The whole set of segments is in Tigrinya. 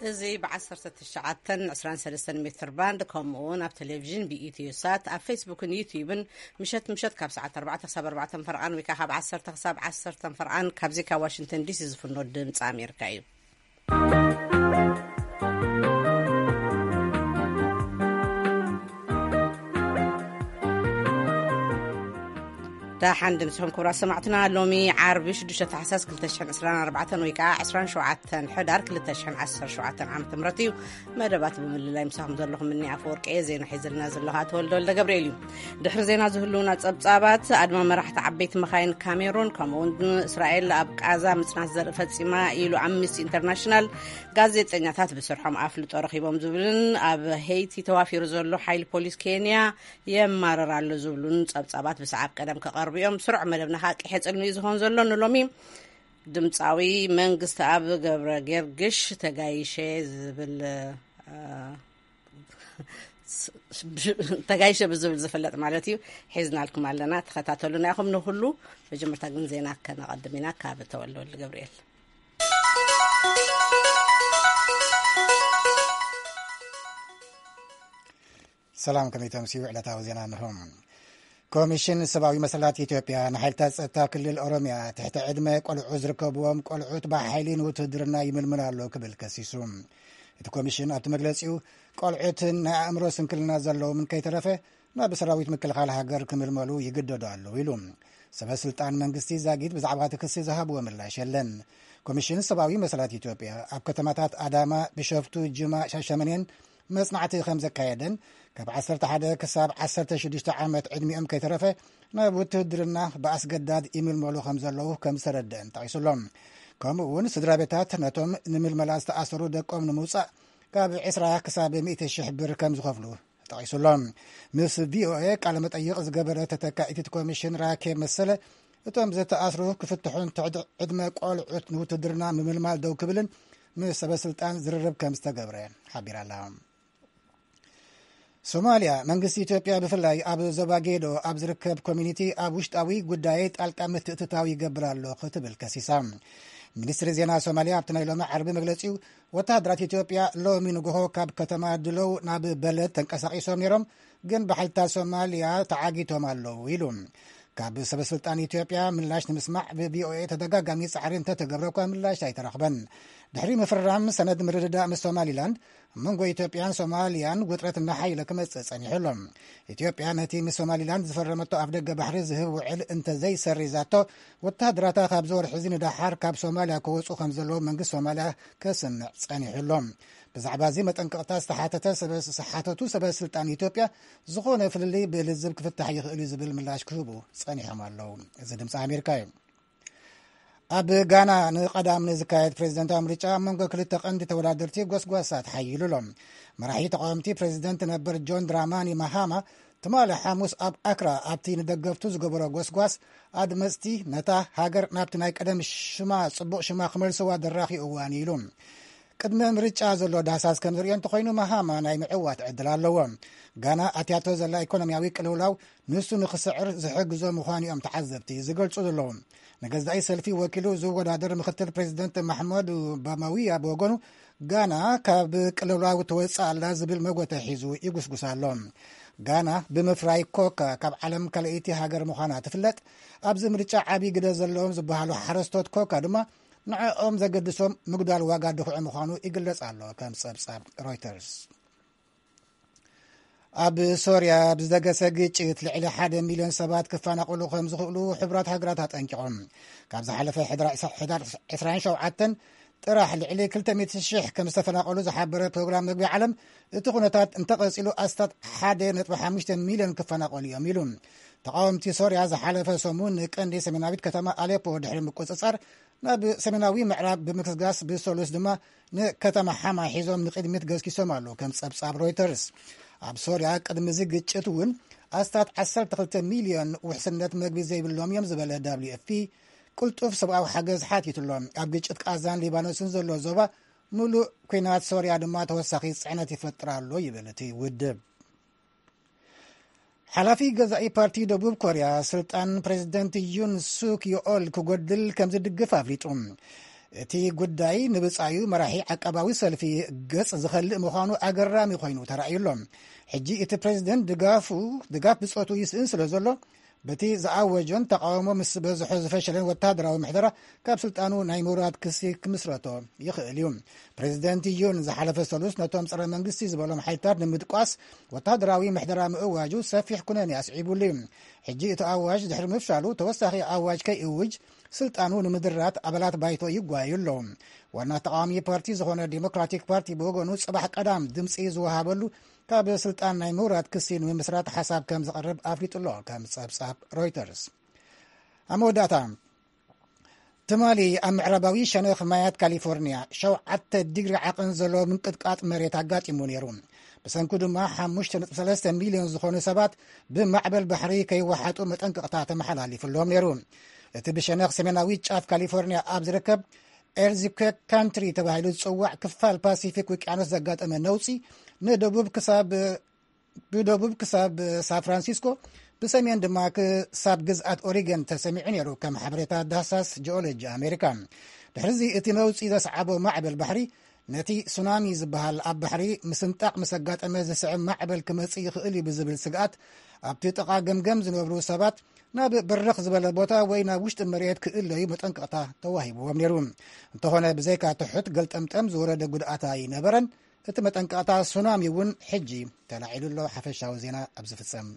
እዚ ብ19 23 ሜትር ባንድ፣ ከምኡ እውን ኣብ ቴሌቪዥን ብኢትዮ ሳት፣ ኣብ ፌስቡክን ዩትዩብን ምሸት ምሸት ካብ ሰዓት ኣርባዕተ ክሳብ ኣርባዕተ ፈርቓን ወይ ከዓ ካብ ዓሰርተ ክሳብ ዓሰርተ ፈርቓን ካብዚ ካብ ዋሽንግተን ዲሲ ዝፍኖ ድምፂ ኣሜሪካ እዩ። ደሓን ድምፅኹም ክቡራት ሰማዕትና። ሎሚ ዓርቢ ሽዱሽተ ታሕሳስ ክልተ ሽሕን ዕስራን ኣርባዕተን ወይ ከዓ ዕስራን ሸውዓተን ሕዳር ክልተ ሽሕን ዓሰርተ ሸውዓተን ዓመተ ምህረት እዩ። መደባት ብምልላይ ምሳኹም ዘለኹም እኒ ኣፈወርቂ እየ። ዜና ሒዝልና ዘለኹ ኣቶ ወልደ ወልደ ገብርኤል እዩ። ድሕሪ ዜና ዝህልውና ጸብጻባት፣ ኣድማ መራሕቲ ዓበይቲ መኻይን ካሜሩን፣ ከምኡ እውን እስራኤል ኣብ ቃዛ ምጽናት ዘርኢ ፈጺማ ኢሉ ኣምነስቲ ኢንተርናሽናል፣ ጋዜጠኛታት ብስርሖም ኣፍልጦ ረኺቦም ዝብልን ኣብ ሄይቲ ተዋፊሩ ዘሎ ሓይሊ ፖሊስ ኬንያ የማርር ኣሎ ዝብሉን ጸብጻባት ብሰዓብ ቀደም ክቐርቡ እዮም። ስሩዕ መደብና ከዓ ቅሐ ጽልሚ እዩ ዝኸውን ዘሎ። ንሎሚ ድምፃዊ መንግስቲ ኣብ ገብረ ገርግሽ ተጋይሸ ዝብል፣ እ፣ ተጋይሸ ብዝብል ዝፍለጥ ማለት እዩ፣ ሒዝናልኩም ኣለና። ተኸታተሉና ኢኹም። ንኹሉ መጀመርታ ግን ዜና ከነቐድም ኢና ካብ ተወልደ ወልደ ገብርኤል። ሰላም፣ ከመይ ተምስዩ? ዕለታዊ ዜና እንሆ። ኮሚሽን ሰብኣዊ መሰላት ኢትዮጵያ ንሓይልታት ጸጥታ ክልል ኦሮሚያ ትሕቲ ዕድመ ቆልዑ ዝርከብዎም ቆልዑት ብሓይሊ ንውትህድርና ይምልምል ኣሎ ክብል ከሲሱ። እቲ ኮሚሽን ኣብቲ መግለጺኡ፣ ቆልዑትን ናይ ኣእምሮ ስንክልና ዘለዎም ከይተረፈ ናብ ሰራዊት ምክልኻል ሃገር ክምልመሉ ይግደዱ ኣለዉ ኢሉ። ሰበ ስልጣን መንግስቲ ዛጊት ብዛዕባ እቲ ክሲ ዝሃብዎ ምላሽ የለን። ኮሚሽን ሰብኣዊ መሰላት ኢትዮጵያ ኣብ ከተማታት ኣዳማ፣ ቢሾፍቱ፣ ጅማ፣ ሻሸመኔን መጽናዕቲ ከም ዘካየደን፣ ካብ ዓሰርተ ሓደ ክሳብ ዓሰርተ ሽዱሽተ ዓመት ዕድሚኦም ከይተረፈ ናብ ውትህድርና ብኣስገዳድ ይምልመሉ ከም ዘለዉ ከም ዝተረደአን ጠቒሱሎም። ከምኡ እውን ስድራ ቤታት ነቶም ንምልመላ ዝተኣሰሩ ደቆም ንምውጻእ ካብ ዕስራ ክሳብ ሚእቲ ሽሕ ብር ከም ዝኸፍሉ ጠቒሱሎም። ምስ ቪኦኤ ቃለ መጠይቕ ዝገበረ ተተካኢት ኮሚሽን ራኬብ መሰለ፣ እቶም ዝተኣስሩ ክፍትሑን ትሕቲ ዕድመ ቆልዑት ንውትድርና ምምልማል ደው ክብልን ምስ ሰበ ስልጣን ዝርርብ ከም ዝተገብረ ሓቢራ ኣላ። ሶማልያ፣ መንግስቲ ኢትዮጵያ ብፍላይ ኣብ ዞባ ጌዶ ኣብ ዝርከብ ኮሚኒቲ ኣብ ውሽጣዊ ጉዳይ ጣልቃ ምትእትታው ይገብር ኣሎ ክትብል ከሲሳ። ሚኒስትሪ ዜና ሶማልያ ኣብቲ ናይ ሎሚ ዓርቢ መግለጺኡ፣ ወተሃደራት ኢትዮጵያ ሎሚ ንግሆ ካብ ከተማ ድለው ናብ በለድ ተንቀሳቒሶም ነይሮም፣ ግን ብሓይልታት ሶማልያ ተዓጊቶም ኣለዉ ኢሉ። ካብ ሰበ ስልጣን ኢትዮጵያ ምላሽ ንምስማዕ ብቪኦኤ ተደጋጋሚ ጻዕሪ እንተተገብረ እኳ ምላሽ ኣይተረኽበን። ድሕሪ ምፍርራም ሰነድ ምርድዳእ ምስ ሶማሊላንድ፣ ኣብ መንጎ ኢትዮጵያን ሶማልያን ውጥረት እናሓየለ ክመጽእ ጸኒሑ ኣሎ። ኢትዮጵያ ነቲ ምስ ሶማሊላንድ ዝፈረመቶ ኣፍ ደገ ባሕሪ ዝህብ ውዕል እንተዘይሰሪዛቶ፣ ወተሃደራታ ካብዚ ወርሒ እዚ ንደሓር ካብ ሶማልያ ክወጹ ከም ዘለዎም መንግስቲ ሶማልያ ከስምዕ ጸኒሑ ኣሎ። ብዛዕባ እዚ መጠንቀቕታ ዝተሓተተ ሰበ-፣ ዝተሓተቱ ሰበ ስልጣን ኢትዮጵያ፣ ዝኾነ ፍልልይ ብልዝብ ክፍታሕ ይኽእል እዩ ዝብል ምላሽ ክህቡ ጸኒሖም ኣለዉ። እዚ ድምፂ ኣሜሪካ እዩ። ኣብ ጋና ንቐዳም ንዝካየድ ፕሬዚደንታዊ ምርጫ ኣብ መንጎ ክልተ ቀንዲ ተወዳደርቲ ጎስጓሳት ሓይሉ ኣሎ። መራሒ ተቃወምቲ ፕሬዚደንት ነበር ጆን ድራማኒ ማሃማ ትማሊ ሓሙስ ኣብ ኣክራ ኣብቲ ንደገፍቱ ዝገበሮ ጎስጓስ፣ ኣድመፅቲ ነታ ሃገር ናብቲ ናይ ቀደም ሽማ፣ ፅቡቕ ሽማ ክመልስዋ ደራኺ እዋን ኢሉ። ቅድሚ ምርጫ ዘሎ ዳህሳስ ከም ዝርእዮ እንተኾይኑ፣ ማሃማ ናይ ምዕዋት ዕድል ኣለዎ። ጋና ኣትያቶ ዘላ ኢኮኖሚያዊ ቅልውላው ንሱ ንኽስዕር ዝሕግዞ ምዃኑ እዮም ተዓዘብቲ ዝገልጹ ዘለዉ። ንገዛኢ ሰልፊ ወኪሉ ዝወዳደር ምክትል ፕሬዚደንት ማሕመድ ባማዊያ ብወገኑ፣ ጋና ካብ ቅልውላው ትወጽእ ኣላ ዝብል መጎተ ሒዙ ይጉስጉስ ኣሎ። ጋና ብምፍራይ ኮካ ካብ ዓለም ካልኣይቲ ሃገር ምዃና ትፍለጥ። ኣብዚ ምርጫ ዓብዪ ግደ ዘለዎም ዝበሃሉ ሓረስቶት ኮካ ድማ ንዕኦም ዘገድሶም ምጉዳል ዋጋ ድኹዒ ምዃኑ ይግለጽ ኣሎ፣ ከም ጸብጻብ ሮይተርስ። ኣብ ሶርያ ብዝደገሰ ግጭት ልዕሊ ሓደ ሚልዮን ሰባት ክፈናቐሉ ከም ዝኽእሉ ሕቡራት ሃገራት ኣጠንቂቖም። ካብ ዝሓለፈ ሕድራ-፣ ሕዳር ዕስራን ሸውዓተን ጥራሕ ልዕሊ ክልተ ሚእቲ ሽሕ ከም ዝተፈናቐሉ ዝሓበረ ፕሮግራም መግቢ ዓለም፣ እቲ ኩነታት እንተቐጺሉ ኣስታት ሓደ ነጥቢ ሓሙሽተ ሚልዮን ክፈናቐሉ እዮም ኢሉ። ተቓወምቲ ሶርያ ዝሓለፈ ሰሙን ንቀንዲ ሰሜናዊት ከተማ ኣሌፖ ድሕሪ ምቁጽጻር፣ ናብ ሰሜናዊ ምዕራብ ብምግስጋስ፣ ብሰሉስ ድማ ንከተማ ሓማ ሒዞም ንቕድሚት ገስጊሶም ኣለዉ፣ ከም ጸብጻብ ሮይተርስ። ኣብ ሶርያ ቅድሚ እዚ ግጭት እውን ኣስታት ዓሰርተ ክልተ ሚልዮን ውሕስነት መግቢ ዘይብሎም እዮም ዝበለ ደብሊው ኤፍ ፒ፣ ቅልጡፍ ሰብኣዊ ሓገዝ ሓቲቱ ኣሎ። ኣብ ግጭት ቃዛን ሊባኖስን ዘሎ ዞባ ምሉእ ኲናት ሶርያ ድማ ተወሳኺ ጽዕነት ይፈጥር ኣሎ ይብል እቲ ውድብ። ሓላፊ ገዛኢ ፓርቲ ደቡብ ኮርያ፣ ስልጣን ፕሬዚደንት ዩን ሱክ ዮኦል ክጎድል ከም ዝድግፍ ኣፍሊጡ። እቲ ጉዳይ ንብጻዩ መራሒ ዓቃባዊ ሰልፊ ገጽ ዝኸልእ ምዃኑ ኣገራሚ ኮይኑ ተራእዩ ኣሎ። ሕጂ እቲ ፕሬዚደንት ድጋፉ፣ ድጋፍ ብጾቱ ይስእን ስለ ዘሎ፣ በቲ ዝኣወጆን ተቃውሞ ምስ በዝሖ ዝፈሸለን ወተሃደራዊ ምሕደራ ካብ ስልጣኑ ናይ ምውራድ ክሲ ክምስረቶ ይኽእል እዩ። ፕሬዚደንት ዩን ዝሓለፈ ሰሉስ ነቶም ጸረ መንግስቲ ዝበሎም ሓይልታት ንምድቋስ ወተሃደራዊ ምሕደራ ምእዋጁ ሰፊሕ ኩነኔ ኣስዒቡሉ እዩ። ሕጂ እቲ ኣዋጅ ድሕሪ ምፍሻሉ ተወሳኺ ኣዋጅ ከይእውጅ ስልጣኑ ንምድራት ኣባላት ባይቶ ይጓየዩ ኣለዉ። ዋና ተቃዋሚ ፓርቲ ዝኾነ ዲሞክራቲክ ፓርቲ ብወገኑ ጽባሕ ቀዳም ድምጺ ዝወሃበሉ ካብ ስልጣን ናይ ምውራድ ክሲ ንምምስራት ሓሳብ ከም ዝቐርብ ኣፍሊጡ ኣሎ፣ ከም ጸብጻብ ሮይተርስ። ኣብ መወዳእታ፣ ትማሊ ኣብ ምዕራባዊ ሸነኽ ማያት ካሊፎርኒያ ሸውዓተ ዲግሪ ዓቐን ዘሎ ምንቅጥቃጥ መሬት ኣጋጢሙ ነይሩ። ብሰንኩ ድማ ሓሙሽተ ነጥቢ ሰለስተ ሚልዮን ዝኾኑ ሰባት ብማዕበል ባሕሪ ከይወሓጡ መጠንቀቕታ ተመሓላሊፉሎም ነይሩ። እቲ ብሸነኽ ሰሜናዊ ጫፍ ካሊፎርኒያ ኣብ ዝርከብ ኤርዝኩዌክ ካንትሪ ተባሂሉ ዝጽዋዕ ክፋል ፓሲፊክ ውቅያኖስ ዘጋጠመ ነውጺ ንደቡብ ክሳብ ብደቡብ ክሳብ ሳን ፍራንሲስኮ፣ ብሰሜን ድማ ክሳብ ግዝኣት ኦሪገን ተሰሚዑ ነይሩ፣ ከም ሓበሬታ ዳህሳስ ጂኦሎጂ ኣሜሪካ። ድሕሪዚ እቲ ነውጺ ዘስዓቦ ማዕበል ባሕሪ ነቲ ሱናሚ ዝበሃል ኣብ ባሕሪ ምስንጣቕ ምስ ኣጋጠመ ዝስዕብ ማዕበል ክመጽእ ይኽእል እዩ ብዝብል ስግኣት፣ ኣብቲ ጥቓ ገምገም ዝነብሩ ሰባት ናብ በርኽ ዝበለ ቦታ ወይ ናብ ውሽጢ መሬት ክእለዩ መጠንቀቕታ ተዋሂብዎም ነይሩ። እንተኾነ ብዘይካ ትሑት ገልጠምጠም ዝወረደ ጉድኣት ኣይነበረን። እቲ መጠንቀቕታ ሱናሚ እውን ሕጂ ተላዒሉ ኣሎ። ሓፈሻዊ ዜና ኣብ ዝፍጸም።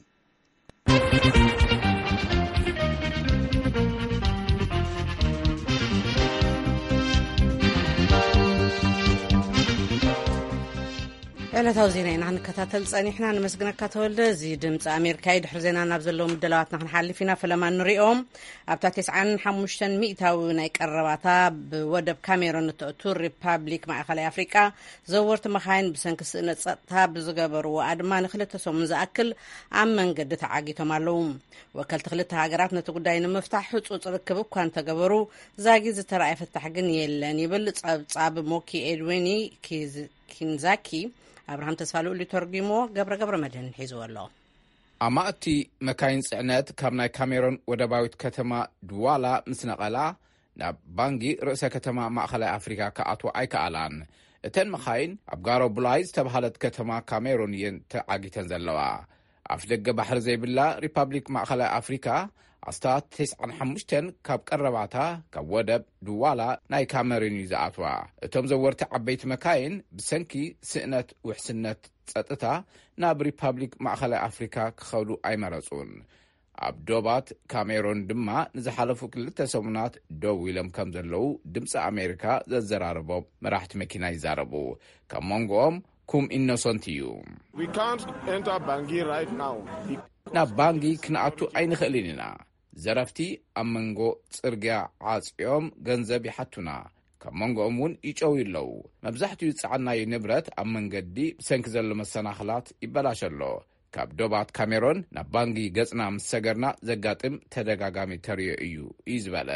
ዕለታዊ ዜና ኢና ክንከታተል ጸኒሕና። ንመስግነካ ተወልደ። እዚ ድምፂ ኣሜሪካ እዩ። ድሕሪ ዜና ናብ ዘለዉ ምድላዋትና ክንሓልፍ ኢና። ፈለማ ንሪኦም። ኣብታ ተስዓን ሓሙሽተን ሚእታዊ ናይ ቀረባታ ብወደብ ካሜሮን እተእቱ ሪፓብሊክ ማእኸላይ ኣፍሪቃ ዘወርቲ መኻይን ብሰንኪ ስእነት ጸጥታ ብዝገበርዎ ኣድማ ንክልተ ሰሙን ዝኣክል ኣብ መንገዲ ተዓጊቶም ኣለዉ። ወከልቲ ክልተ ሃገራት ነቲ ጉዳይ ንምፍታሕ ህጹጽ ርክብ እኳ እንተገበሩ፣ ዛጊት ዝተረኣየ ፍታሕ ግን የለን ይብል ጸብጻብ ሞኪ ኤድዊኒ ኪዝ-፣ ኪንዛኪ። ኣብርሃም ተስፋ ልኡል ተርጒሞ፣ ገብረ ገብረ መድህን ሒዝዎ ኣሎ። ኣማእቲ መካይን ጽዕነት ካብ ናይ ካሜሮን ወደባዊት ከተማ ድዋላ ምስ ነቐላ፣ ናብ ባንጊ ርእሰ ከተማ ማእኸላይ ኣፍሪካ ክኣትዋ ኣይከኣላን። እተን መኻይን ኣብ ጋሮ ቡላይ ዝተባህለት ከተማ ካሜሩን እየን ተዓጊተን ዘለዋ። ኣፍ ደገ ባሕሪ ዘይብላ ሪፓብሊክ ማእኸላይ ኣፍሪካ ኣስታት ተስዓን ሓሙሽተን ካብ ቀረባታ ካብ ወደብ ድዋላ ናይ ካሜሩን እዩ ዝኣትዋ። እቶም ዘወርቲ ዓበይቲ መካይን ብሰንኪ ስእነት ውሕስነት ጸጥታ ናብ ሪፓብሊክ ማእኸላይ ኣፍሪካ ክኸዱ ኣይመረጹን። ኣብ ዶባት ካሜሮን ድማ ንዝሓለፉ ክልተ ሰሙናት ደው ኢሎም ከም ዘለዉ ድምፂ ኣሜሪካ ዘዘራረቦም መራሕቲ መኪና ይዛረቡ። ካብ መንጎኦም ኩም ኢኖሶንት እዩ። We can't enter Bangui right now. ናብ ባንጊ ክንኣቱ ኣይንኽእልን ኢና። ዘረፍቲ ኣብ መንጎ ጽርግያ ዓጽዮም ገንዘብ ይሓቱና። ካብ መንጎኦም እውን ይጨውዩ ኣለዉ። መብዛሕትኡ ዝጸዓናዮ ንብረት ኣብ መንገዲ ብሰንኪ ዘሎ መሰናኽላት ይበላሸ ኣሎ። ካብ ዶባት ካሜሮን ናብ ባንጊ ገጽና ምስ ሰገርና ዘጋጥም ተደጋጋሚ ተርእዮ እዩ፣ እዩ ዝበለ።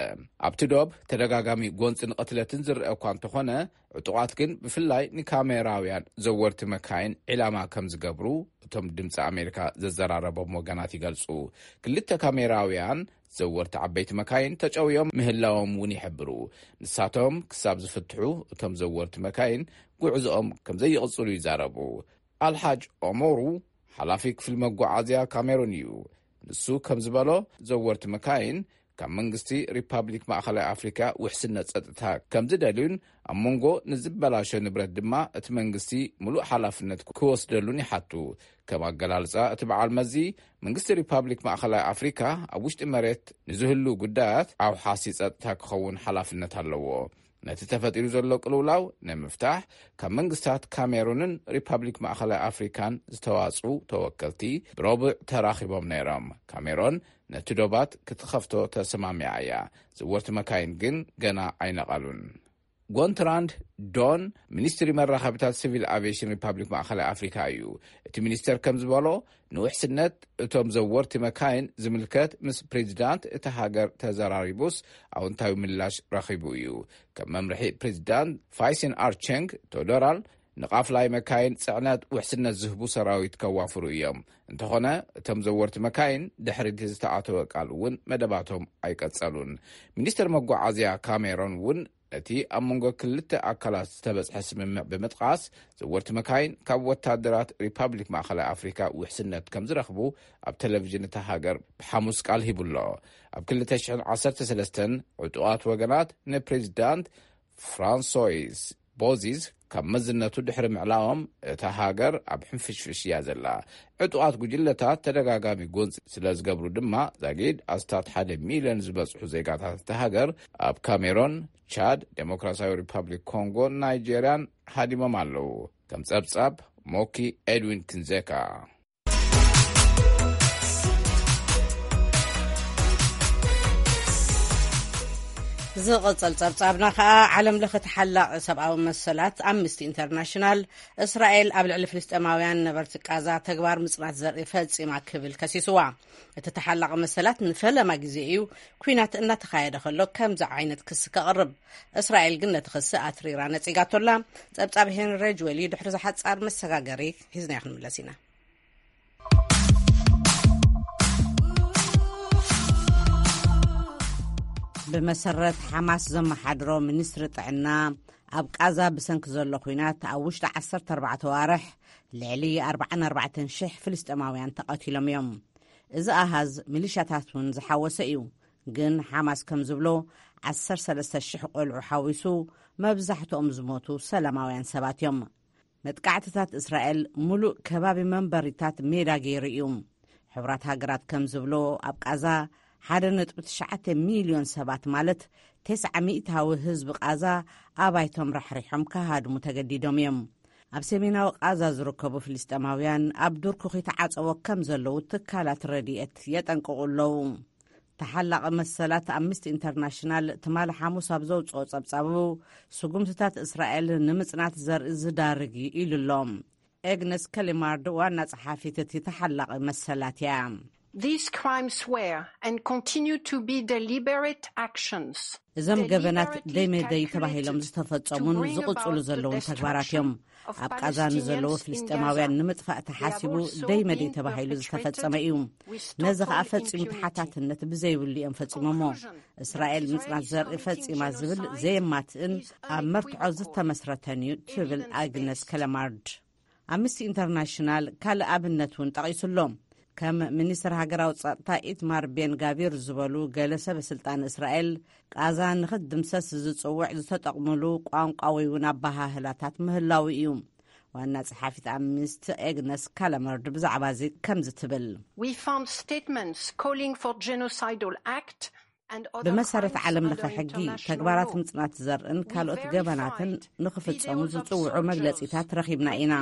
ኣብቲ ዶብ ተደጋጋሚ ጎንጽን ቅትለትን ዝረአ እኳ እንተኾነ፣ ዕጡቓት ግን ብፍላይ ንካሜራውያን ዘወርቲ መካይን ዒላማ ከም ዝገብሩ እቶም ድምፂ ኣሜሪካ ዘዘራረቦም ወገናት ይገልጹ። ክልተ ካሜራውያን ዘወርቲ ዓበይቲ መካይን ተጨውዮም ምህላዎም እውን ይሕብሩ። ንሳቶም ክሳብ ዝፍትሑ፣ እቶም ዘወርቲ መካይን ጉዕዞኦም ከም ዘይቕጽሉ ይዛረቡ። ኣልሓጅ ኦሞሩ ሓላፊ ክፍሊ መጓዓዝያ ካሜሩን እዩ። ንሱ ከም ዝበሎ፣ ዘወርቲ መካይን ካብ መንግስቲ ሪፓብሊክ ማእኸላይ ኣፍሪካ ውሕስነት ጸጥታ ከም ዝደልዩን ኣብ መንጎ ንዝበላሸ ንብረት ድማ እቲ መንግስቲ ምሉእ ሓላፍነት ክወስደሉን ይሓቱ። ከም ኣገላልጻ እቲ በዓል መዚ፣ መንግስቲ ሪፓብሊክ ማእኸላይ ኣፍሪካ ኣብ ውሽጢ መሬት ንዝህሉ ጉዳያት ኣውሓሲ ጸጥታ ክኸውን ሓላፍነት ኣለዎ። ነቲ ተፈጢሩ ዘሎ ቅልውላው ንምፍታሕ ካብ መንግስታት ካሜሩንን ሪፓብሊክ ማእኸላይ ኣፍሪካን ዝተዋጽኡ ተወከልቲ ብረቡዕ ተራኺቦም ነይሮም። ካሜሮን ነቲ ዶባት ክትኸፍቶ ተሰማሚዓ እያ። ዘወርቲ መካይን ግን ገና ኣይነቐሉን። ጎንትራንድ ዶን፣ ሚኒስትሪ መራኸብታት ሲቪል ኣቪዬሽን ሪፓብሊክ ማእኸላይ ኣፍሪካ እዩ። እቲ ሚኒስተር ከም ዝበሎ፣ ንውሕስነት እቶም ዘወርቲ መካይን ዝምልከት ምስ ፕሬዚዳንት እታ ሃገር ተዘራሪቡስ ኣውንታዊ ምላሽ ረኺቡ እዩ። ከም መምርሒ ፕሬዚዳንት ፋይሲን ኣርቸንግ ቶዶራል፣ ንቃፍላይ መካይን ጽዕነት ውሕስነት ዝህቡ ሰራዊት ከዋፍሩ እዮም። እንተኾነ፣ እቶም ዘወርቲ መካይን ድሕሪ እቲ ዝተኣተወ ቃል እውን መደባቶም ኣይቀጸሉን። ሚኒስተር መጓዓዝያ ካሜሮን እውን ነቲ ኣብ መንጎ ክልተ ኣካላት ዝተበጽሐ ስምምዕ ብምጥቃስ፣ ዘወርቲ መካይን ካብ ወታደራት ሪፓብሊክ ማእኸላይ ኣፍሪካ ውሕስነት ከም ዝረኽቡ ኣብ ቴሌቪዥን እታ ሃገር ብሓሙስ ቃል ሂቡ ኣሎ። ኣብ ክልተ ሽሕን ዓሰርተ ሰለስተን ዕጡቓት ወገናት ንፕሬዚዳንት ፍራንሶይስ ቦዚዝ ካብ መዝነቱ ድሕሪ ምዕላዎም፣ እታ ሃገር ኣብ ሕንፍሽፍሽ እያ ዘላ። ዕጡቓት ጉጅለታት ተደጋጋሚ ጎንፂ ስለ ዝገብሩ ድማ፣ ዛጊድ ኣስታት ሓደ ሚልዮን ዝበጽሑ ዜጋታት እታ ሃገር ኣብ ካሜሮን፣ ቻድ፣ ዴሞክራሲያዊ ሪፓብሊክ ኮንጎን ናይጄርያን ሃዲሞም ኣለዉ። ከም ጸብጻብ ሞኪ ኤድዊን ክንዜካ። ዝቕጽል ጸብጻብና ከኣ፣ ዓለም ለኸ ተሓላቒ ሰብኣዊ መሰላት ኣምነስቲ ኢንተርናሽናል፣ እስራኤል ኣብ ልዕሊ ፍልስጤማውያን ነበርቲ ቃዛ ተግባር ምጽናት ዘርኢ ፈጺማ ክብል ከሲስዋ። እቲ ተሓላቒ መሰላት ንፈለማ ግዜ እዩ ኲናት እናተኻየደ ከሎ ከምዚ ዓይነት ክሲ ከቕርብ። እስራኤል ግን ነቲ ክሲ ኣትሪራ ነጺጋቶላ። ጸብጻብ ሄንሪ ሬጅዌል እዩ። ድሕሪ ዝሓጻር መሰጋገሪ ሂዝናዮ ክንምለስ ኢና። ብመሰረት ሓማስ ዘመሓድሮ ሚኒስትሪ ጥዕና፣ ኣብ ቃዛ ብሰንኪ ዘሎ ኲናት ኣብ ውሽጢ ዓሰርተ ኣርባዕተ ኣዋርሕ ልዕሊ ኣርባዓን ኣርባዕተን ሽሕ ፍልስጤማውያን ተቐቲሎም እዮም። እዚ ኣሃዝ ሚሊሻታት እውን ዝሓወሰ እዩ። ግን ሓማስ ከም ዝብሎ፣ ዓሰርተ ሰለስተ ሽሕ ቆልዑ ሓዊሱ፣ መብዛሕትኦም ዝሞቱ ሰላማውያን ሰባት እዮም። መጥቃዕትታት እስራኤል ምሉእ ከባቢ መንበሪታት ሜዳ ገይሩ እዩ። ሕቡራት ሃገራት ከም ዝብሎ፣ ኣብ ቃዛ ሓደ ነጥቢ ትሽዓተ ሚልዮን ሰባት፣ ማለት ተስዓ ሚእታዊ ህዝቢ ቃዛ፣ ኣባይቶም ራሕሪሖም ክሃድሙ ተገዲዶም እዮም። ኣብ ሰሜናዊ ቃዛ ዝርከቡ ፍልስጤማውያን ኣብ ዱር ኩኺ ተዓጸዎ ከም ዘለዉ ትካላት ረድኤት የጠንቅቑ ኣለዉ። ተሓላቒ መሰላት ኣምነስቲ ኢንተርናሽናል ትማሊ ሓሙስ ኣብ ዘውጽኦ ጸብጻቡ፣ ስጉምትታት እስራኤል ንምጽናት ዘርኢ ዝዳርግ እዩ ኢሉ ኣሎ። ኤግነስ ከሊማርድ ዋና ጸሓፊት እቲ ተሓላቒ መሰላት እያ። These crimes were and continue to be deliberate actions. እዞም ገበናት ደይመደይ ተባሂሎም ዝተፈጸሙን ዝቕጽሉ ዘለውን ተግባራት እዮም። ኣብ ቃዛ ንዘለዉ ፍልስጤማውያን ንምጥፋእ ተሓሲቡ ደይመደይ ተባሂሉ ዝተፈጸመ እዩ። ነዚ ኸኣ ፈጺሙ ተሓታትነት ብዘይብሉ እዮም ፈጺሞሞ። እስራኤል ምጽናት ዘርኢ ፈጺማ ዝብል ዘየማትእን ኣብ መርትዖ ዝተመስረተን እዩ፣ ትብል ኣግነስ ከለማርድ። ኣምነስቲ ኢንተርናሽናል ካልእ ኣብነት እውን ጠቒሱ ኣሎ። ከም ሚኒስትር ሃገራዊ ጸጥታ ኢትማር ቤን ጋቪር ዝበሉ ገለ ሰበ ስልጣን እስራኤል፣ ቃዛ ንኽትድምሰስ ዝጽውዕ ዝተጠቕምሉ ቋንቋ ወይ እውን ኣበሃህላታት ምህላው እዩ። ዋና ጸሓፊት ኣምነስቲ ኤግነስ ካለመርድ ብዛዕባ እዚ ከምዚ ትብል። We found statements calling for genocidal act. ብመሰረት ዓለም ለኸ ሕጊ፣ ተግባራት ምጽናት ዘርእን ካልኦት ገበናትን ንኽፍጸሙ ዝጽውዑ መግለጺታት ረኺብና ኢና።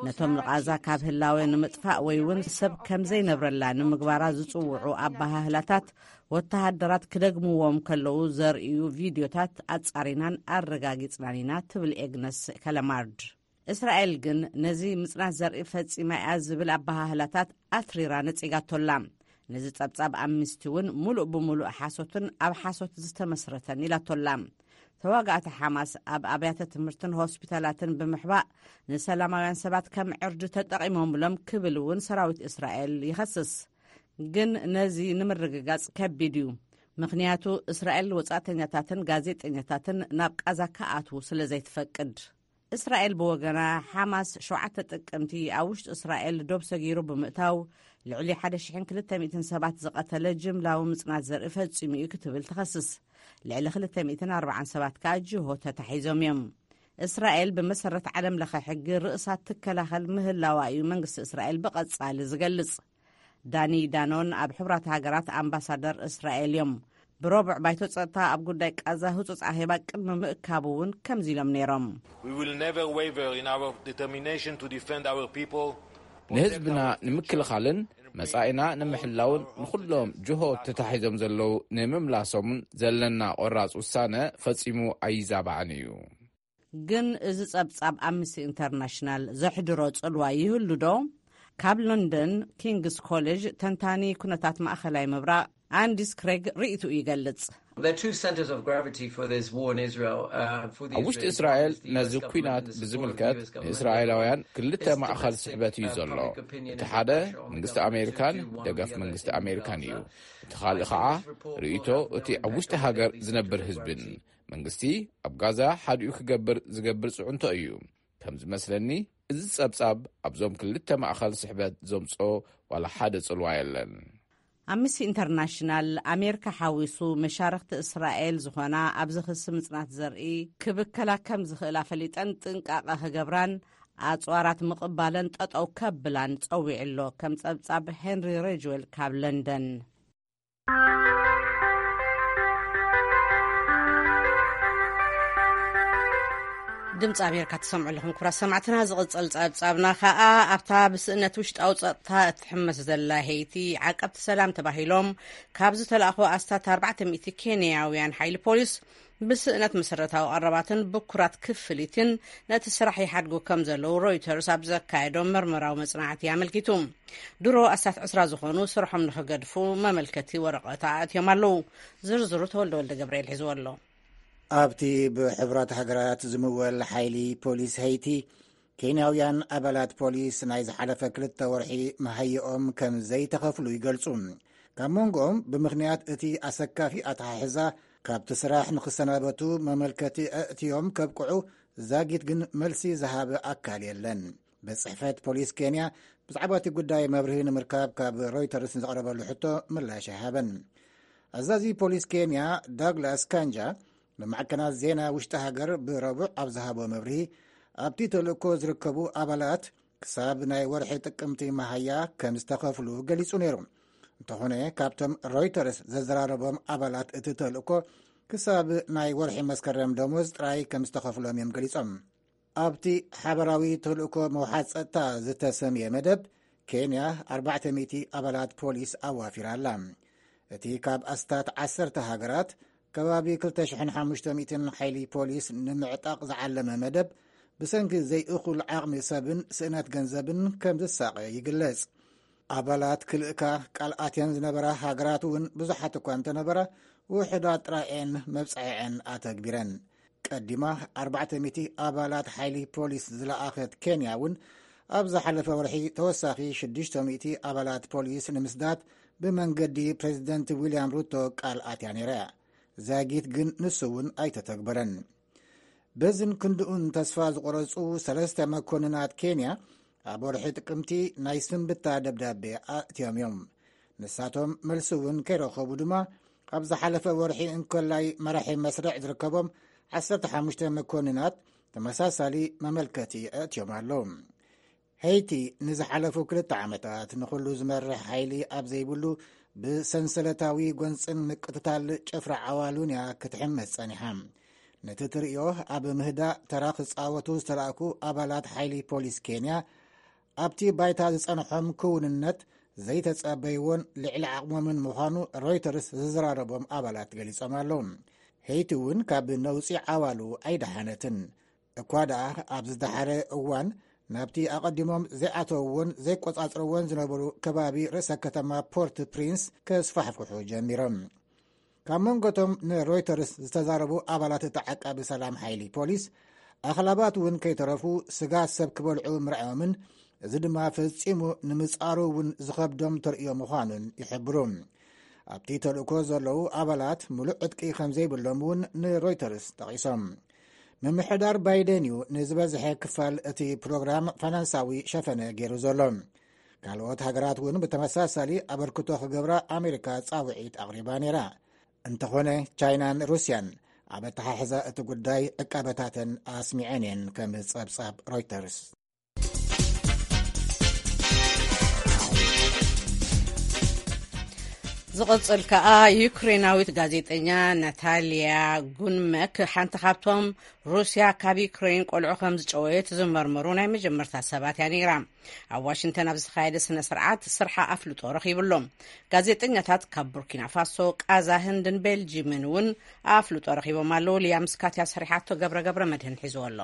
ነቶም ንቓዛ ካብ ህላወ ንምጥፋእ ወይ እውን ሰብ ከም ዘይነብረላ ንምግባራ ዝጽውዑ ኣበሃህላታት፣ ወተሃደራት ክደግምዎም ከለዉ ዘርእዩ ቪድዮታት ኣጻሪናን ኣረጋጊጽናን ኢና፣ ትብል ኤግነስ ከለማርድ። እስራኤል ግን ነዚ ምጽናት ዘርኢ ፈጺማ እያ ዝብል ኣበሃህላታት ኣትሪራ ነጺጋቶላ። ነዚ ጸብጻብ ኣምነስቲ እውን ምሉእ ብምሉእ ሓሶትን ኣብ ሓሶት ዝተመስረተን ኢላቶላ። ተዋጋእቲ ሓማስ ኣብ ኣብያተ ትምህርትን ሆስፒታላትን ብምሕባእ ንሰላማውያን ሰባት ከም ዕርዲ ተጠቒሞምሎም ክብል እውን ሰራዊት እስራኤል ይኸስስ። ግን ነዚ ንምርግጋጽ ከቢድ እዩ። ምኽንያቱ እስራኤል ወጻእተኛታትን ጋዜጠኛታትን ናብ ቃዛ ክኣትዉ ስለ ዘይትፈቅድ። እስራኤል ብወገና፣ ሓማስ ሸውዓተ ጥቅምቲ ኣብ ውሽጢ እስራኤል ዶብ ሰጊሩ ብምእታው፣ ልዕሊ ሓደ ሽሕን ክልተ ሚእትን ሰባት ዝቐተለ ጅምላዊ ምጽናት ዘርኢ ፈጺሙ እዩ ክትብል ትኸስስ። ልዕሊ ክልተ ሚእትን ኣርባዓን ሰባት ከኣ ጅሆ ተታሒዞም እዮም። እስራኤል ብመሰረት ዓለም ለኸ ሕጊ ርእሳ ትከላኸል ምህላዋ እዩ መንግስቲ እስራኤል ብቐጻሊ ዝገልጽ። ዳኒ ዳኖን ኣብ ሕቡራት ሃገራት ኣምባሳደር እስራኤል እዮም። ብረቡዕ ባይቶ ጸጥታ ኣብ ጉዳይ ቃዛ ህጹጽ ኣኼባ ቅድሚ ምእካቡ እውን ከምዚ ኢሎም ነይሮም። We will never waver in our determination to defend our people ንህዝብና ንምክልኻልን መጻኢና ንምሕላውን ንኹሎም ጅሆ ተታሒዞም ዘለዉ ንምምላሶምን ዘለና ቆራጽ ውሳነ ፈጺሙ ኣይዛባዕን እዩ። ግን እዚ ጸብጻብ ኣምነስቲ ኢንተርናሽናል ዘሕድሮ ጽልዋ ይህሉ ዶ? ካብ ሎንደን ኪንግስ ኮሌጅ ተንታኒ ኩነታት ማእኸላይ ምብራቕ ኣንዲስ ክሬግ ርእይትኡ ይገልጽ። ኣብ ውሽጢ እስራኤል ነዚ ኲናት ብዝምልከት ንእስራኤላውያን ክልተ ማእኸል ስሕበት እዩ ዘሎ። እቲ ሓደ መንግስቲ ኣሜሪካን ደገፍ መንግስቲ ኣሜሪካን እዩ። እቲ ካልእ ኸዓ ርእይቶ እቲ ኣብ ውሽጢ ሃገር ዝነብር ህዝብን። መንግስቲ ኣብ ጋዛ ሓዲኡ ክገብር ዝገብር ጽዕንቶ እዩ። ከም ዝመስለኒ እዚ ጸብጻብ ኣብዞም ክልተ ማእኸል ስሕበት ዘምጾ ዋላ ሓደ ጽልዋ የለን። ኣምነስቲ ኢንተርናሽናል ኣሜሪካ ሓዊሱ መሻርኽቲ እስራኤል ዝኾና ኣብዚ ክሲ ምጽናት ዘርኢ ክብከላ ከም ዝኽእላ ፈሊጠን ጥንቃቐ ክገብራን ኣጽዋራት ምቕባለን ጠጠው ከብላን ጸዊዑ ኣሎ። ከም ጸብጻብ ሄንሪ ሬጅዌል ካብ ለንደን። ድምፂ ኣሜሪካ ትሰምዑ ኣለኹም ክቡራት ሰማዕትና። ዝቕፅል ፀብፃብና ከዓ ኣብታ ብስእነት ውሽጣዊ ፀጥታ እትሕመስ ዘላ ሄይቲ ዓቀብቲ ሰላም ተባሂሎም ካብ ዝተላእኹ ኣስታት ኣርባዕተ ሚእቲ ኬንያውያን ሓይሊ ፖሊስ ብስእነት መሰረታዊ ቀረባትን ብኩራት ክፍሊትን ነቲ ስራሕ ይሓድጉ ከም ዘለዉ ሮይተርስ ኣብ ዘካየዶ መርመራዊ መፅናዕቲ ኣመልኪቱ። ድሮ ኣስታት ዕስራ ዝኾኑ ስርሖም ንኽገድፉ መመልከቲ ወረቐት ኣእትዮም ኣለዉ። ዝርዝሩ ተወልደ ወልደ ገብርኤል ሒዝዎ ኣሎ። ኣብቲ ብሕቡራት ሃገራት ዝምወል ሓይሊ ፖሊስ ሄይቲ፣ ኬንያውያን ኣባላት ፖሊስ ናይ ዝሓለፈ ክልተ ወርሒ መሃይኦም ከም ዘይተኸፍሉ ይገልጹ። ካብ መንጎኦም ብምኽንያት እቲ ኣሰካፊ ኣተሓሕዛ ካብቲ ስራሕ ንኽሰናበቱ መመልከቲ ኣእትዮም ከብቅዑ ዛጊት ግን መልሲ ዝሃበ ኣካል የለን። ቤት ጽሕፈት ፖሊስ ኬንያ ብዛዕባ እቲ ጉዳይ መብርሂ ንምርካብ ካብ ሮይተርስ ንዘቕረበሉ ሕቶ ምላሽ ኣይሃበን። ኣዛዚ ፖሊስ ኬንያ ዳግላስ ካንጃ ንማዕከናት ዜና ውሽጢ ሃገር ብረቡዕ ኣብ ዝሃቦ መብርሂ፣ ኣብቲ ተልእኮ ዝርከቡ ኣባላት ክሳብ ናይ ወርሒ ጥቅምቲ መሃያ ከም ዝተኸፍሉ ገሊጹ ነይሩ። እንተኾነ ካብቶም ሮይተርስ ዘዘራረቦም ኣባላት እቲ ተልእኮ ክሳብ ናይ ወርሒ መስከረም ደሞዝ ጥራይ ከም ዝተኸፍሎም እዮም ገሊጾም። ኣብቲ ሓበራዊ ተልእኮ መውሓድ ጸጥታ ዝተሰምየ መደብ፣ ኬንያ ኣርባዕተ ሚእቲ ኣባላት ፖሊስ ኣዋፊራ ኣላ። እቲ ካብ ኣስታት ዓሰርተ ሃገራት ከባቢ ክልተ ሽሕን ሓሙሽተ ሚእትን ሓይሊ ፖሊስ ንምዕጣቕ ዝዓለመ መደብ፣ ብሰንኪ ዘይእኹል ዓቕሚ ሰብን ስእነት ገንዘብን ከም ዝሳቐ ይግለጽ። ኣባላት ክልእካ ቃል ኣትየን ዝነበራ ሃገራት እውን ብዙሓት እኳ እንተነበራ፣ ውሑዳት ጥራይ እየን መብጽዐዐን ኣተግቢረን። ቀዲማ ኣርባዕተ ሚእቲ ኣባላት ሓይሊ ፖሊስ ዝለኣኸት ኬንያ እውን ኣብ ዝሓለፈ ወርሒ ተወሳኺ ሽዱሽተ ሚእቲ ኣባላት ፖሊስ ንምስዳድ ብመንገዲ ፕሬዚደንት ዊልያም ሩቶ ቃል ኣትያ ነይራ እያ። ዛጊት ግን ንሱ እውን ኣይተተግበረን። በዝን ክንድኡን ተስፋ ዝቆረጹ ሰለስተ መኮንናት ኬንያ ኣብ ወርሒ ጥቅምቲ ናይ ስንብታ ደብዳቤ ኣእትዮም እዮም። ንሳቶም መልሲ እውን ከይረኸቡ ድማ ኣብ ዝሓለፈ ወርሒ እንኮላይ መራሒ መስርዕ ዝርከቦም ዓሰርተ ሓሙሽተ መኮንናት ተመሳሳሊ መመልከቲ ኣእትዮም ኣለዉ። ሄይቲ ንዝሓለፉ ክልተ ዓመታት ንኹሉ ዝመርሕ ሓይሊ ኣብ ዘይብሉ ብሰንሰለታዊ ጎንጽን ምቅትታል ጭፍራ ዓዋሉን እያ ክትሕመስ ጸኒሓ። ነቲ ትርእዮ ኣብ ምህዳእ ተራ ክጻወቱ ዝተላእኩ ኣባላት ሓይሊ ፖሊስ ኬንያ ኣብቲ ባይታ ዝጸንሖም ክውንነት ዘይተጸበይዎን ልዕሊ ዓቕሞምን ምዃኑ ሮይተርስ ዝዘራረቦም ኣባላት ገሊጾም ኣለዉ። ሄይቲ እውን ካብ ነውጺ ዓዋሉ ኣይደሓነትን። እኳ ደኣ ኣብ ዝደሓረ እዋን ናብቲ ኣቐዲሞም ዘይኣተውዎን ዘይቆጻጽርዎን ዝነበሩ ከባቢ ርእሰ ከተማ ፖርት ፕሪንስ ከስፋሕፍሑ ጀሚሮም። ካብ መንጎቶም ንሮይተርስ ዝተዛረቡ ኣባላት እቲ ዓቃቢ ሰላም ሓይሊ ፖሊስ፣ ኣኽላባት እውን ከይተረፉ ስጋ ሰብ ክበልዑ ምርኣዮምን እዚ ድማ ፈጺሙ ንምጻሩ እውን ዝኸብዶም ተርእዮ ምዃኑን ይሕብሩ። ኣብቲ ተልእኮ ዘለዉ ኣባላት ምሉእ ዕጥቂ ከም ዘይብሎም እውን ንሮይተርስ ጠቒሶም። ምምሕዳር ባይደን እዩ ንዝበዝሐ ክፋል እቲ ፕሮግራም ፋይናንሳዊ ሸፈነ ገይሩ ዘሎ። ካልኦት ሃገራት እውን ብተመሳሳሊ ኣበርክቶ ክገብራ ኣሜሪካ ጻውዒት ኣቕሪባ ነይራ። እንተኾነ ቻይናን ሩስያን ኣብ ኣተሓሕዛ እቲ ጉዳይ ዕቃበታተን ኣስሚዐን እየን፣ ከም ጸብጻብ ሮይተርስ። ዝቕጽል ከኣ ዩክሬናዊት ጋዜጠኛ ናታልያ ጉንመክ ሓንቲ ካብቶም ሩስያ ካብ ዩክሬን ቆልዑ ከም ዝጨወየት ዝመርመሩ ናይ መጀመርታ ሰባት እያ ነይራ። ኣብ ዋሽንግተን ኣብ ዝተኻየደ ስነ ስርዓት ስርሓ ኣፍልጦ ረኺብሎም። ጋዜጠኛታት ካብ ቡርኪና ፋሶ፣ ቃዛ፣ ህንድን ቤልጂምን እውን ኣፍልጦ ረኺቦም ኣለዉ። ሊያም ስካት እያ ሰሪሓቶ፣ ገብረ ገብረ መድህን ሒዝዎ ኣሎ።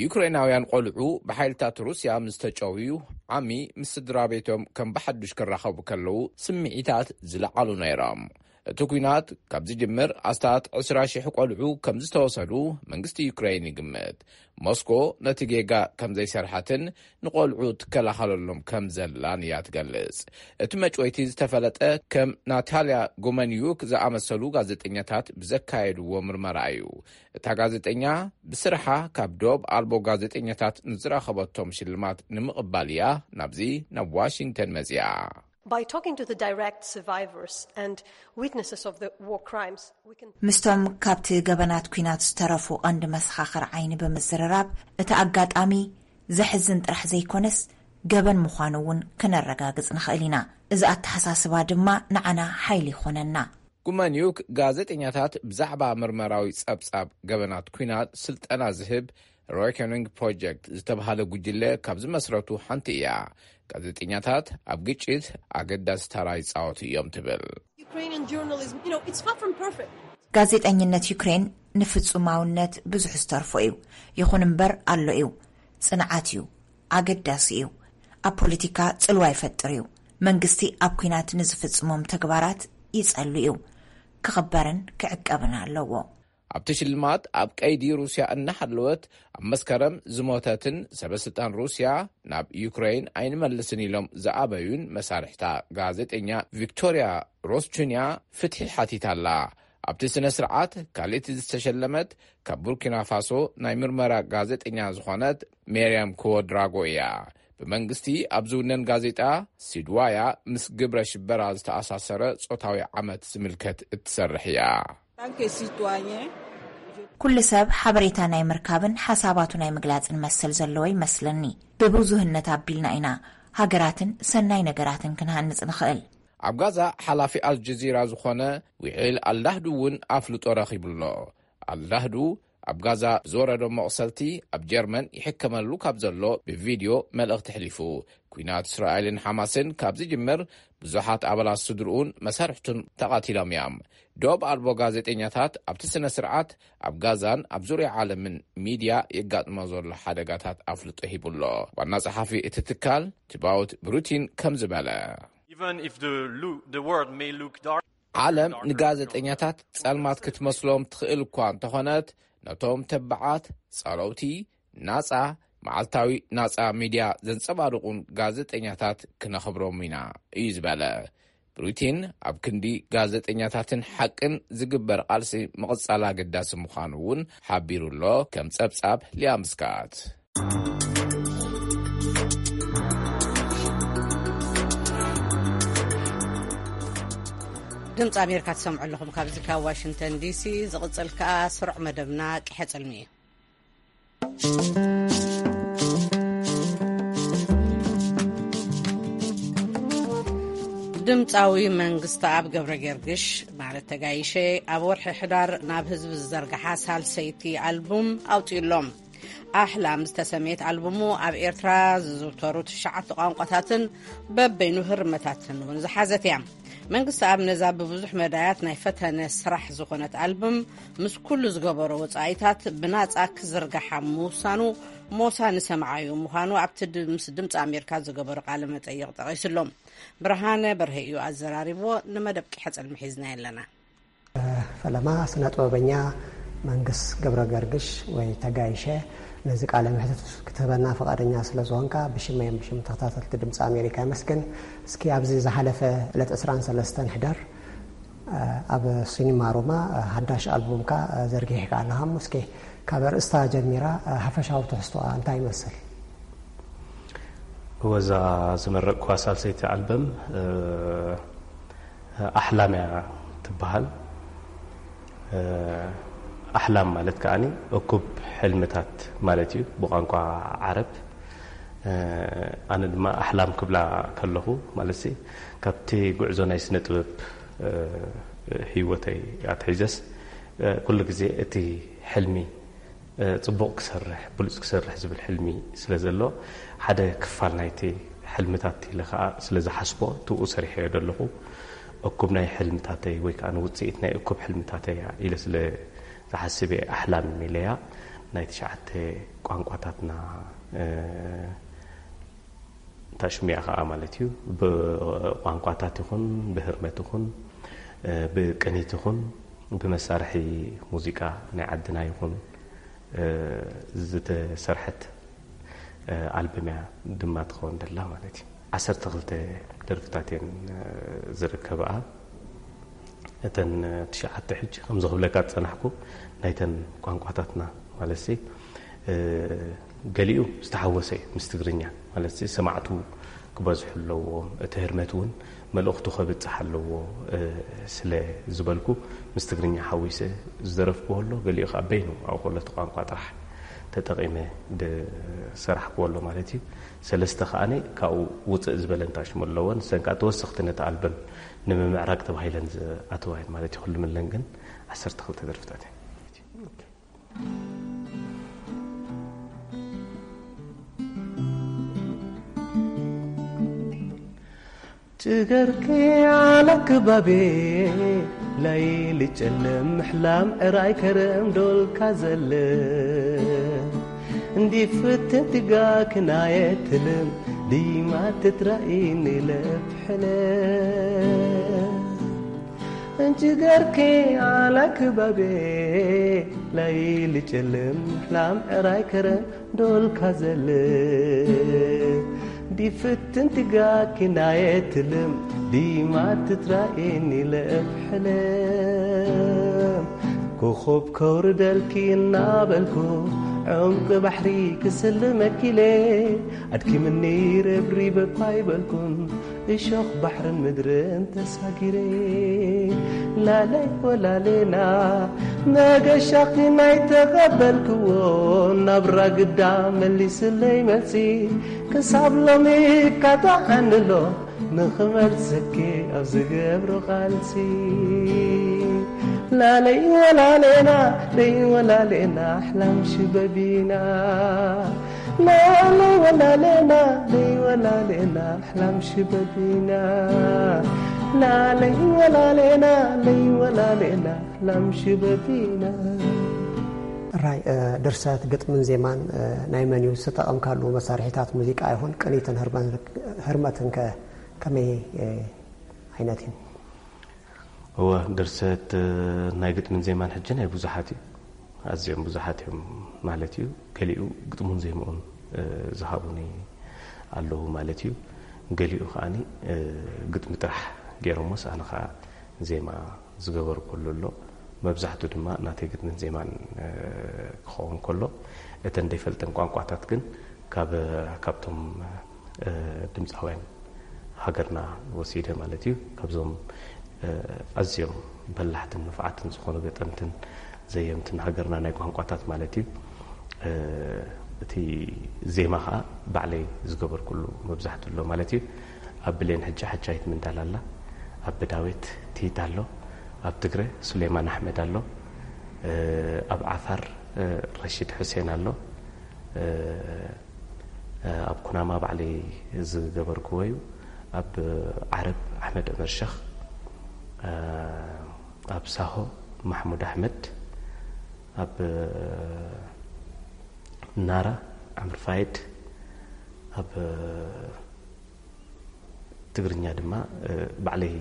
ዩክሬናውያን ቆልዑ ብሓይልታት ሩስያ ምስ ተጨውዩ ዓሚ ምስ ስድራ ቤቶም ከም ብሓዱሽ ክራኸቡ ከለዉ ስምዒታት ዝለዓሉ ነይሮም። እቲ ኲናት ካብ ዝጅምር ኣስታት ዕስራ ሽሕ ቆልዑ ከም ዝተወሰዱ መንግስቲ ዩክሬን ይግምት። ሞስኮ ነቲ ጌጋ ከም ዘይሰርሐትን ንቆልዑ ትከላኸለሎም ከም ዘላን እያ ትገልጽ። እቲ መጭወይቲ ዝተፈለጠ ከም ናታልያ ጎመንዩክ ዝኣመሰሉ ጋዜጠኛታት ብዘካየድዎ ምርመራ እዩ። እታ ጋዜጠኛ ብስርሓ ካብ ዶብ ኣልቦ ጋዜጠኛታት ንዝረኸበቶም ሽልማት ንምቕባል እያ ናብዚ ናብ ዋሽንግተን መጺኣ። By talking to the direct survivors and witnesses of the war crimes, we can ምስቶም ካብቲ ገበናት ኲናት ዝተረፉ ቀንዲ መሰኻኽር ዓይኒ ብምዝርራብ፣ እቲ ኣጋጣሚ ዘሕዝን ጥራሕ ዘይኮነስ፣ ገበን ምዃኑ እውን ክነረጋግጽ ንኽእል ኢና። እዚ ኣተሓሳስባ ድማ ንዓና ሓይሊ ይኾነና። ጉማንዩክ ጋዜጠኛታት ብዛዕባ ምርመራዊ ጸብጻብ ገበናት ኲናት ስልጠና ዝህብ ሮይከኒንግ ፕሮጀክት ዝተባህለ ጉጅለ ካብ ዝመስረቱ ሓንቲ እያ። ጋዜጠኛታት ኣብ ግጭት ኣገዳሲ ተራ ይጻወቱ እዮም ትብል። Ukrainian journalism, you know, it's far from perfect. ጋዜጠኝነት ዩክሬን ንፍጹማውነት ብዙሕ ዝተርፎ እዩ። ይኹን እምበር ኣሎ እዩ። ጽንዓት እዩ። ኣገዳሲ እዩ። ኣብ ፖለቲካ ጽልዋ ይፈጥር እዩ። መንግስቲ ኣብ ኲናት ንዝፍጽሞም ተግባራት ይጸሉ እዩ። ክኽበርን ክዕቀብን ኣለዎ። ኣብቲ ሽልማት ኣብ ቀይዲ ሩስያ እናሃለወት ኣብ መስከረም ዝሞተትን ሰበስልጣን ሩስያ ናብ ዩክረይን ኣይንመልስን ኢሎም ዝኣበዩን መሳርሕታ ጋዜጠኛ ቪክቶርያ ሮስቹንያ ፍትሒ ሓቲታ ኣላ። ኣብቲ ስነ ስርዓት ካልእቲ ዝተሸለመት ካብ ቡርኪና ፋሶ ናይ ምርመራ ጋዜጠኛ ዝኾነት ሜርያም ክወድራጎ እያ። ብመንግስቲ ኣብ ዝውነን ጋዜጣ ሲድዋያ ምስ ግብረ ሽበራ ዝተኣሳሰረ ጾታዊ ዓመት ዝምልከት እትሰርሕ እያ። ኩሉ ሰብ ሓበሬታ ናይ ምርካብን ሓሳባቱ ናይ ምግላጽን መሰል ዘለዎ ይመስለኒ። ብብዙህነት ኣቢልና ኢና ሃገራትን ሰናይ ነገራትን ክንሃንጽ ንኽእል። ኣብ ጋዛ ሓላፊ ኣልጀዚራ ዝኾነ ዊዒል ኣልዳህዱ እውን ኣፍልጦ ረኺቡ ኣሎ። ኣልዳህዱ ኣብ ጋዛ ብዝወረዶ መቑሰልቲ ኣብ ጀርመን ይሕከመሉ ካብ ዘሎ ብቪድዮ መልእኽቲ ኣሕሊፉ። ኲናት እስራኤልን ሓማስን ካብ ዝጅምር ብዙሓት ኣባላት ስድርኡን መሳርሕቱን ተቓቲሎም እዮም። ዶብ ኣልቦ ጋዜጠኛታት ኣብቲ ስነ ስርዓት ኣብ ጋዛን ኣብ ዙርያ ዓለምን ሚድያ የጋጥሞ ዘሎ ሓደጋታት ኣፍልጦ ሂቡ ኣሎ። ዋና ጸሓፊ እቲ ትካል ቲባውት ብሩቲን ከምዚ በለ። Even if the, lo- the world may look dark, ዓለም ንጋዜጠኛታት ጸልማት ክትመስሎም ትኽእል እኳ እንተኾነት፣ ነቶም ተባዓት ጸለውቲ ናጻ መዓልታዊ ናጻ ሚድያ ዘንጸባርቑን ጋዜጠኛታት ክነኽብሮም ኢና እዩ ዝበለ። ብሩቲን ኣብ ክንዲ ጋዜጠኛታትን ሓቅን ዝግበር ቃልሲ ምቕጻል ኣገዳሲ ምዃኑ እውን ሓቢሩ ኣሎ። ከም ጸብጻብ ሊያምስካት። ድምፂ ኣሜሪካ ትሰምዑ ኣለኹም ካብዚ ካብ ዋሽንግተን ዲሲ። ዝቕፅል ከኣ ስሩዕ መደብና ቅሐ ፅልሚ እዩ። ድምፃዊ መንግስቲ ኣብ ገብረ ገርግሽ ማለት ተጋይሸ ኣብ ወርሒ ሕዳር ናብ ህዝቢ ዝዘርግሓ ሳልሰይቲ ኣልቡም ኣውፅኡ ኣሎም። ኣሕላም ዝተሰመየት ኣልቡሙ ኣብ ኤርትራ ዝዝውተሩ ትሽዓተ ቋንቋታትን በበይኑ ህርመታትን እውን ዝሓዘት እያ። መንግስቲ ኣብ ነዛ ብብዙሕ መዳያት ናይ ፈተነ ስራሕ ዝኾነት ኣልቡም ምስ ኩሉ ዝገበሮ ወጻኢታት ብናጻ ክዝርግሓ ምውሳኑ ሞሳ ንሰምዓዩ ምዃኑ ኣብቲ ድ- ምስ ድምፂ ኣሜሪካ ዝገበሮ ቃለ መጠይቕ ጠቒሱ ኣሎ። ብርሃነ በርሀ እዩ ኣዘራሪብዎ። ንመደብ ቂሐ ጽልሚ ሒዝና ኣለና። ፈለማ ስነ ጥበበኛ መንግስ ገብረ ገርግሽ ወይ ተጋይሸ ነዚ ቃለ መሕትት ክትህበና ፈቃደኛ ስለ ዝኾንካ ብሽመይን ብሽም ተኸታተልቲ ድምፂ ኣሜሪካ የመስግን። እስኪ ኣብዚ ዝሓለፈ ዕለት ዕስራን ሰለስተን ሕዳር ኣብ ሲኒማ ሮማ ሓዳሽ ኣልቡምካ ዘርጊሕካ ኣለኻ። እስኪ ካብ ኣርእስታ ጀሚራ ሓፈሻዊ ትሕዝቶኣ እንታይ ይመስል? ወዛ ዝመረቅኳ ሳልሰይቲ ኣልበም ኣሕላም እያ ትበሃል። ኣሕላም ማለት ከዓኒ እኩብ ሕልምታት ማለት እዩ ብቋንቋ ዓረብ። ኣነ ድማ ኣሕላም ክብላ ከለኹ፣ ማለት ሲ፣ ካብቲ ጉዕዞ ናይ ስነ ጥበብ ህይወተይ ኣትሒዘስ፣ ኩሉ ግዜ እቲ ሕልሚ፣ ጽቡቕ ክሰርሕ፣ ብሉጽ ክሰርሕ ዝብል ሕልሚ ስለ ዘሎ፣ ሓደ ክፋል ናይቲ ሕልምታት ኢለ ከኣ ስለ ዝሓስቦ፣ ትብኡ ሰሪሐዮ ዘለኹ። እኩብ ናይ ሕልምታተይ ወይ ከኣ ንውጽኢት ናይ እኩብ ሕልምታተይ ኢለ ስለ ዝሓስብ እየ ኣሕላም ኢለያ። ናይ ትሽዓተ ቋንቋታትና፣ ታሽሚያ ከኣ ማለት እዩ፣ ብቋንቋታት ይኹን፣ ብህርመት ይኹን፣ ብቅኒት ይኹን፣ ብመሳርሒ ሙዚቃ ናይ ዓድና ይኹን፣ ዝተሰርሐት ኣልበም እያ ድማ ትኸውን ደላ ማለት እዩ። ዓሰርተ ክልተ ደርፍታት እየን ዝርከብኣ። እተን ትሽዓተ ሕጂ ከም ዝኽብለካ ዝጸናሕኩ ናይተን ቋንቋታትና ማለት ሲ፣ ገሊኡ ዝተሓወሰ እዩ ምስ ትግርኛ፣ ማለት ሲ ሰማዕቱ ክበዝሑ ኣለዎም፣ እቲ ህርመት እውን መልእኽቱ ከብጽሕ ኣለዎ ስለ ዝበልኩ፣ ምስ ትግርኛ ሓዊሰ ዝደረፍኩዎ ኣሎ። ገሊኡ ከኣ በይኑ ኣብኡ ከሎ እቲ ቋንቋ ጥራሕ ተጠቒመ ዝሰራሕኩዎ ኣሎ ማለት እዩ። ሰለስተ ከኣነ ካብኡ ውፅእ ዝበለ እንታሽሙ ኣለዎ። ንሰን ከኣ ተወሰኽቲ ነቲ ኣልበም ንምምዕራግ ተባሂለን ዝኣተዋ እየን ማለት እዩ። ኩሉ ምለን ግን ዓሰርተ ክልተ ደርፍታት እየን። ጭገርኪ على ክባቤ ለይሊ ጨለም ምሕላም ዕራይ ከረም ዶልካ ዘለ እንዲ ፍትን ትጋክ ናየ ትልም ድይማ ትትራኢኒ ለብሕለ እንጭገርኪ على ክባቤ ለይሊ ጨለም ምሕላም ዕራይ ከረም ዶልካ ዘለ ዲፍትን ትጋኪ ናየ ትልም ዲማ ትትራኤኒ ለእብ ሕለም ኮኾብ ከውርደልኪ እናበልኩ ዕምቂ ባሕሪ ክስልመኪ ኢለ ኣድኪምኒ ረብሪበ እኳ ይበልኩን እሾኽ ባሕርን ምድርን ተሳጊረ ላለይ ወላሌና መገሻኺ ናይ ተቐበልክዎ ናብራ ግዳ መሊስለይ መልሲ ክሳብ ሎሚ ካጣዓንሎ ንኽመልሰኪ ኣብ ዝገብሮ ቃልሲ ላለይ ወላሌና ለይ ወላሌና ኣሕላም ሽበቢና ላለይ ወላሌና ለይ ወላሌና ኣሕላም ሽበቢና ላለይ ወላሌና ለይ ወላሌና ኣሕላም ሽበቢና ራይ ድርሰት ግጥምን ዜማን ናይ መን እዩ ዝተጠቐምካሉ መሳርሒታት ሙዚቃ ይኹን ቅኒትን ህርመትን ከ ከመይ ዓይነት እዩ እወ ድርሰት ናይ ግጥምን ዜማን ሕጂ ናይ ብዙሓት እዩ ኣዝዮም ብዙሓት እዮም ማለት እዩ። ገሊኡ ግጥሙን ዜምኡን ዝሃቡኒ ኣለዉ ማለት እዩ። ገሊኡ ከዓኒ ግጥሚ ጥራሕ ገይሮሞስ ኣነ ከዓ ዜማ ዝገበርኩሉ ኣሎ። መብዛሕቱ ድማ ናተይ ግጥምን ዜማን ክኸውን ከሎ እተን ዘይፈልጠን ቋንቋታት ግን ካብ ካብቶም ድምፃውያን ሃገርና ወሲደ ማለት እዩ። ካብዞም ኣዝዮም በላሕትን ንፉዓትን ዝኾኑ ገጠምትን ዘየምትን ሃገርና ናይ ቋንቋታት ማለት እዩ። እቲ ዜማ ከዓ ባዕለይ ዝገበርኩሉ መብዛሕቱ ኣሎ ማለት እዩ። ኣብ ብሌን ሕጂ ሓቻይት ምንዳል ኣላ፣ ኣብ ብዳዊት ቲት ኣሎ፣ ኣብ ትግረ ሱሌማን ኣሕመድ ኣሎ፣ ኣብ ዓፋር ረሺድ ሑሴን ኣሎ፣ ኣብ ኩናማ ባዕለይ ዝገበርክዎ እዩ። ኣብ ዓረብ ኣሕመድ ዑመር ሸኽ፣ ኣብ ሳሆ ማሕሙድ ኣሕመድ፣ ኣብ ናራ ዓምር ፋይድ፣ ኣብ ትግርኛ ድማ ባዕለይ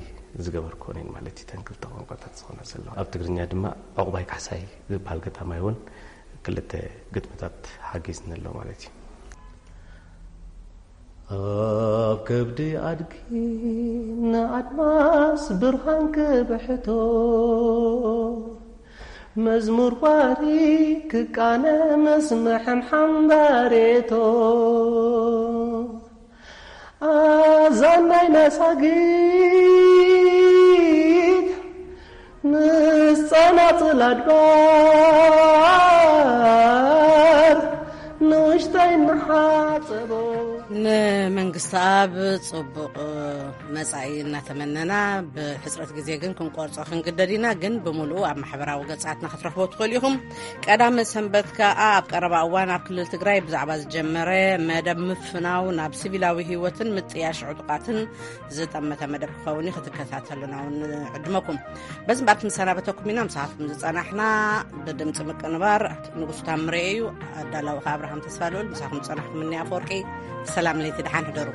ዝገበርክወን እየን ማለት እዩ። ተን ክልተ ቋንቋታት ዝኾና ዘለዋ ኣብ ትግርኛ ድማ ዕቑባይ ካሕሳይ ዝበሃል ገጣማይ እውን ክልተ ግጥምታት ሓጊዝኒ ኣሎ ማለት እዩ። ኣብ ከብዲ ኣድጊ ንኣድማስ ብርሃን ክብሕቶ መዝሙር ዋሪ ክቃነ መስምዕም ሓምባሬቶ ኣዛን ናይ መሳጊት ምስ ጸናጽል ኣድባር ንውሽጣ ንሓጸቦ። ንመንግስቲ ኣብ ጽቡቕ መጻኢ እናተመነና፣ ብሕጽረት ግዜ ግን ክንቆርጾ ክንግደድ ኢና። ግን ብምሉኡ ኣብ ማሕበራዊ ገጻትና ክትረኽቦ ትኽእሉ ኢኹም። ቀዳመ ሰንበት ከኣ ኣብ ቀረባ እዋን ኣብ ክልል ትግራይ ብዛዕባ ዝጀመረ መደብ ምፍናው ናብ ሲቪላዊ ህይወትን ምጥያሽ ዕጡቓትን ዝጠመተ መደብ ክኸውን እዩ። ክትከታተሉና እውን ንዕድመኩም። በዚ እምበኣር ክንሰናበተኩም ኢና። ምሳኻትኩም ዝጸናሕና ብድምጺ ምቅንባር ንጉሱ ታምሬ እዩ። ኣዳላዊ ከኣ ኣብርሃም ተስፋ ልኡል። ምሳኹም ዝጸናሕኩም እኒ ኣፈወርቂ። ሰላም ለይቲ፣ ደሓን ሕደሩ።